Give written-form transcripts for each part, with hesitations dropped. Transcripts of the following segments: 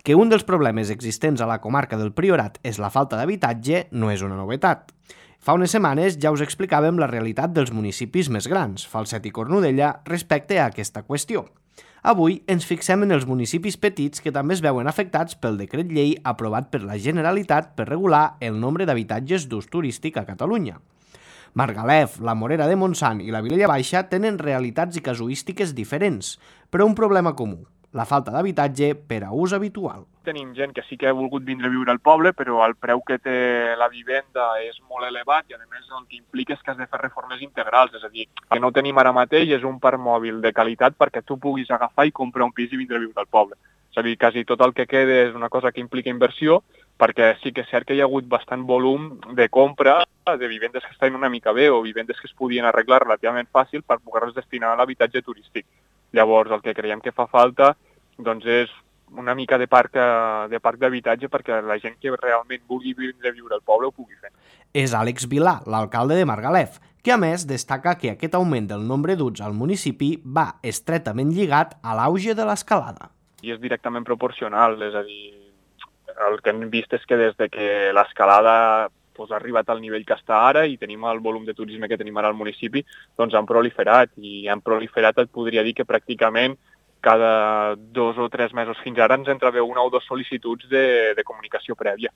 Que un dels problemes existents a la comarca del Priorat és la falta d'habitatge no és una novetat. Fa unes setmanes ja us explicàvem la realitat dels municipis més grans, Falset i Cornudella, respecte a aquesta qüestió. Avui ens fixem en els municipis petits que també es veuen afectats pel decret llei aprovat per la Generalitat per regular el nombre d'habitatges d'ús turístic a Catalunya. Margalef, la Morera de Montsant i la Vilella Baixa tenen realitats i casuístiques diferents, però un problema comú: la falta d'habitatge per a ús habitual. Tenim gent que sí que ha volgut vindre a viure al poble, però el preu que té la vivenda és molt elevat i, a més, el que implica és que has de fer reformes integrals. És a dir, el que no tenim ara mateix és un parc mòbil de qualitat perquè tu puguis agafar i comprar un pis i vindre a viure al poble. És a dir, quasi tot el que queda és una cosa que implica inversió, perquè sí que és cert que hi ha hagut bastant volum de compra de vivendes que estan una mica bé o vivendes que es podien arreglar relativament fàcil per poder-les destinar a l'habitatge turístic. Llavors, el que creiem que fa falta doncs és una mica de parc d'habitatge perquè la gent que realment vulgui vindre a viure al poble ho pugui fer. És Àlex Vilà, l'alcalde de Margalef, que a més destaca que aquest augment del nombre d'uts al municipi va estretament lligat a l'auge de l'escalada. I és directament proporcional, és a dir, el que hem vist és que des de que l'escalada ha arribat al nivell que està ara i tenim el volum de turisme que tenim ara al municipi, doncs han proliferat, i han proliferat, et podria dir que pràcticament cada 2 o 3 mesos fins ara ens entra una o 2 sol·licituds de comunicació prèvia.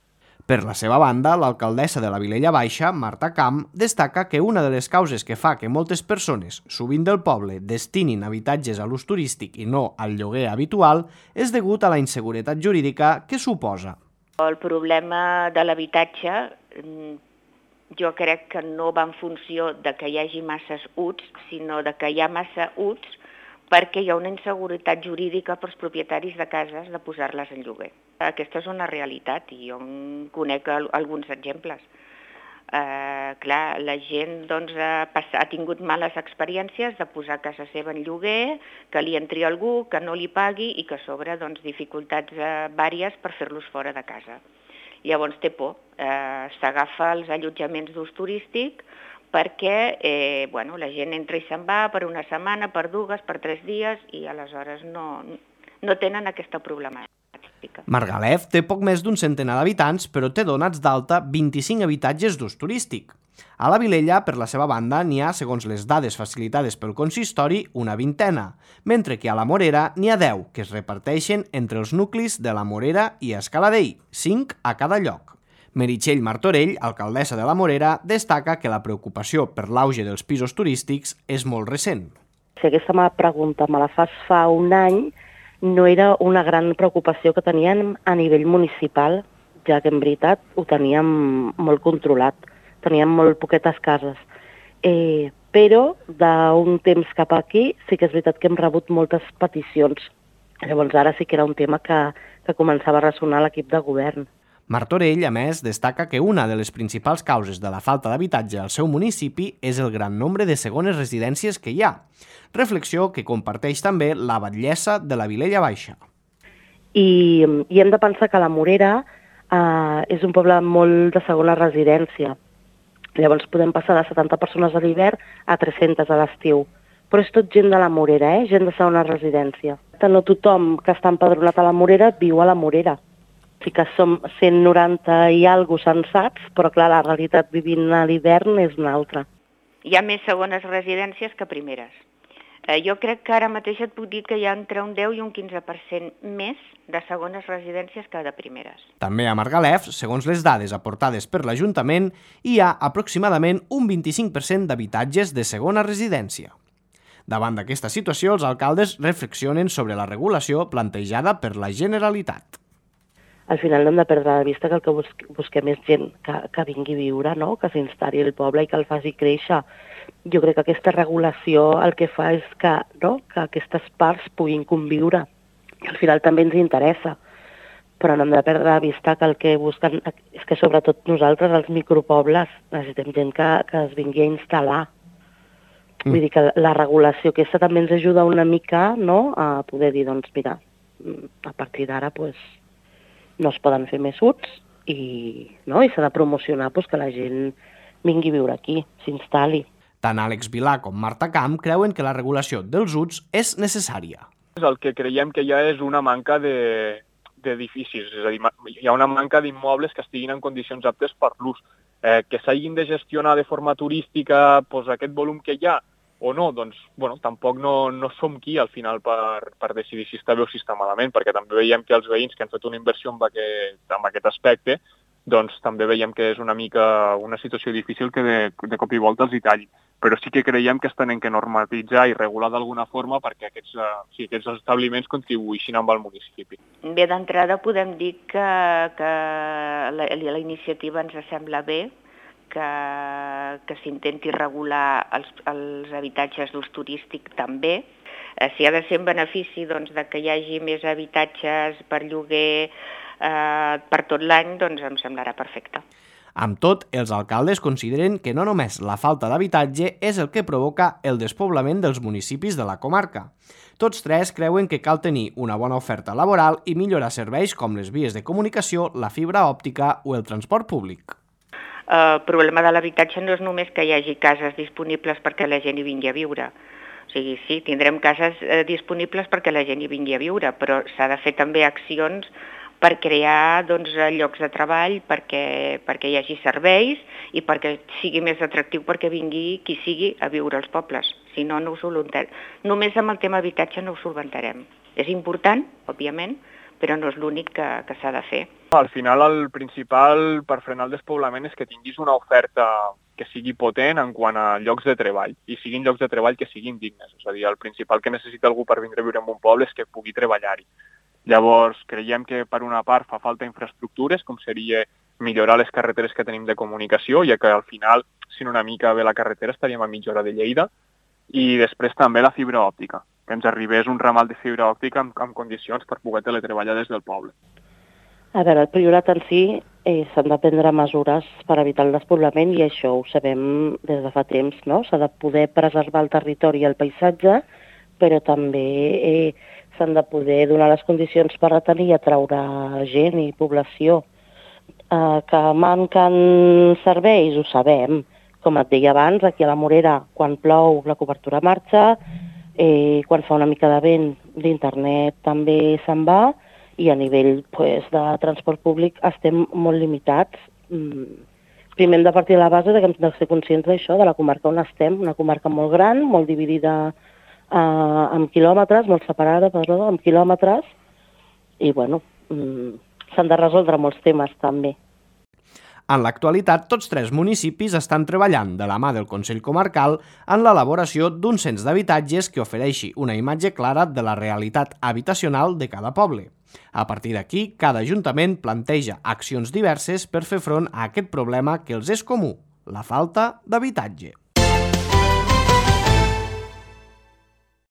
Per la seva banda, l'alcaldessa de la Vilella Baixa, Marta Camp, destaca que una de les causes que fa que moltes persones, sovint del poble, destinin habitatges a l'ús turístic i no al lloguer habitual és degut a la inseguretat jurídica que suposa. El problema de l'habitatge jo crec que no va en funció de que hi hagi masses UTs, sinó de que hi ha massa UTs perquè hi ha una inseguretat jurídica pels propietaris de cases de posar-les en lloguer. Aquesta és una realitat i jo en conec alguns exemples. Clar, la gent ha tingut males experiències de posar casa seva en lloguer, que li entri algú, que no li pagui i que a sobre dificultats vàries per fer-los fora de casa. Llavors té por, s'agafa els allotjaments d'ús turístic perquè la gent entra i se'n va per una setmana, per 2, per 3 dies i aleshores no tenen aquesta problemàtica. Margalef té poc més d'un centenar d'habitants, però té donats d'alta 25 habitatges d'ús turístic. A la Vilella, per la seva banda, n'hi ha, segons les dades facilitades pel consistori, una vintena, mentre que a la Morera n'hi ha 10, que es reparteixen entre els nuclis de la Morera i Escaladell, 5 a cada lloc. Meritxell Martorell, alcaldessa de la Morera, destaca que la preocupació per l'auge dels pisos turístics és molt recent. Si aquesta pregunta me la fas fa un any, no era una gran preocupació que teníem a nivell municipal, ja que en veritat ho teníem molt controlat, teníem molt poquetes cases. Però d'un temps cap aquí sí que és veritat que hem rebut moltes peticions. Llavors ara sí que era un tema que començava a ressonar a l'equip de govern. Martorell, a més, destaca que una de les principals causes de la falta d'habitatge al seu municipi és el gran nombre de segones residències que hi ha, reflexió que comparteix també la batllessa de la Vilella Baixa. I hem de pensar que la Morera és un poble molt de segona residència. Llavors podem passar de 70 persones a l'hivern a 300 a l'estiu. Però és tot gent de la Morera, gent de segona residència. No tothom que està empadronat a la Morera viu a la Morera. Sí que som 190 i alguna censats, però clar, la realitat vivint a l'hivern és una altra. Hi ha més segones residències que primeres. Jo crec que ara mateix et puc dir que hi ha entre un 10 i un 15% més de segones residències que de primeres. També a Margalef, segons les dades aportades per l'Ajuntament, hi ha aproximadament un 25% d'habitatges de segona residència. Davant d'aquesta situació, els alcaldes reflexionen sobre la regulació plantejada per la Generalitat. Al final no hem de perdre de vista que el que busquem és gent que vingui a viure, no? Que s'instal·li al poble i que el faci créixer. Jo crec que aquesta regulació el que fa és que aquestes parts puguin conviure. I al final també ens interessa. Però no hem de perdre de vista que el que busquen és que sobretot nosaltres, els micropobles, necessitem gent que es vingui a instal·lar. Vull dir que la regulació aquesta també ens ajuda una mica, no?, a poder dir, doncs mira, a partir d'ara no es poden fer més UTs i s'ha de promocionar que la gent vingui a viure aquí, s'instal·li. Tant Àlex Vilà com Marta Camp creuen que la regulació dels UTs és necessària. El que creiem que ja és una manca de d'edificis, és a dir, hi ha una manca d'immobles que estiguin en condicions aptes per l'ús. Que s'hagin de gestionar de forma turística aquest volum que hi ha o no, doncs tampoc no som qui al final per decidir si està bé o si està malament, perquè també veiem que els veïns que han fet una inversió en aquest aspecte, doncs també veiem que és una mica una situació difícil que de cop i volta els hi talli. Però sí que creiem que es tenen que normatitzar i regular d'alguna forma perquè aquests establiments contribuïssin amb el municipi. Bé, d'entrada podem dir que la iniciativa ens sembla bé, que s'intenti regular els habitatges d'ús turístic també. Si ha de ser en benefici de que hi hagi més habitatges per lloguer per tot l'any, doncs em semblarà perfecte. Amb tot, els alcaldes consideren que no només la falta d'habitatge és el que provoca el despoblament dels municipis de la comarca. Tots tres creuen que cal tenir una bona oferta laboral i millorar serveis com les vies de comunicació, la fibra òptica o el transport públic. El problema de l'habitatge no és només que hi hagi cases disponibles perquè la gent hi vingui a viure. O sigui, sí, tindrem cases disponibles perquè la gent hi vingui a viure, però s'ha de fer també accions per crear llocs de treball, perquè hi hagi serveis i perquè sigui més atractiu perquè vingui qui sigui a viure als pobles. Si no, no ho solventarem. Només amb el tema habitatge no ho solventarem. És important, òbviament, però no és l'únic que s'ha de fer. Al final, el principal per frenar el despoblament és que tinguis una oferta que sigui potent en quant a llocs de treball, i siguin llocs de treball que siguin dignes. És a dir, el principal que necessita algú per vindre a viure en un poble és que pugui treballar-hi. Llavors, creiem que per una part fa falta infraestructures, com seria millorar les carreteres que tenim de comunicació, ja que al final, si una mica bé la carretera, estaríem a mitja hora de Lleida, i després també la fibra òptica, que ens arribés un ramal de fibra òptica en condicions per poder teletreballar des del poble. A veure, el Priorat en si s'han de prendre mesures per evitar el despoblament i això ho sabem des de fa temps, no? S'ha de poder preservar el territori i el paisatge, però també s'han de poder donar les condicions per retenir i atraure gent i població. Que manquen serveis, ho sabem. Com et deia abans, aquí a la Morera, quan plou la cobertura marxa, quan fa una mica de vent d'internet també se'n va, i a nivell de transport públic estem molt limitats. Primer hem de partir de la base que hem de ser conscients d'això, de la comarca on estem, una comarca molt gran, molt dividida amb quilòmetres, molt separada, amb quilòmetres, i s'han de resoldre molts temes també. En l'actualitat, tots tres municipis estan treballant de la mà del Consell Comarcal en l'elaboració d'un cens d'habitatges que ofereixi una imatge clara de la realitat habitacional de cada poble. A partir d'aquí, cada ajuntament planteja accions diverses per fer front a aquest problema que els és comú, la falta d'habitatge.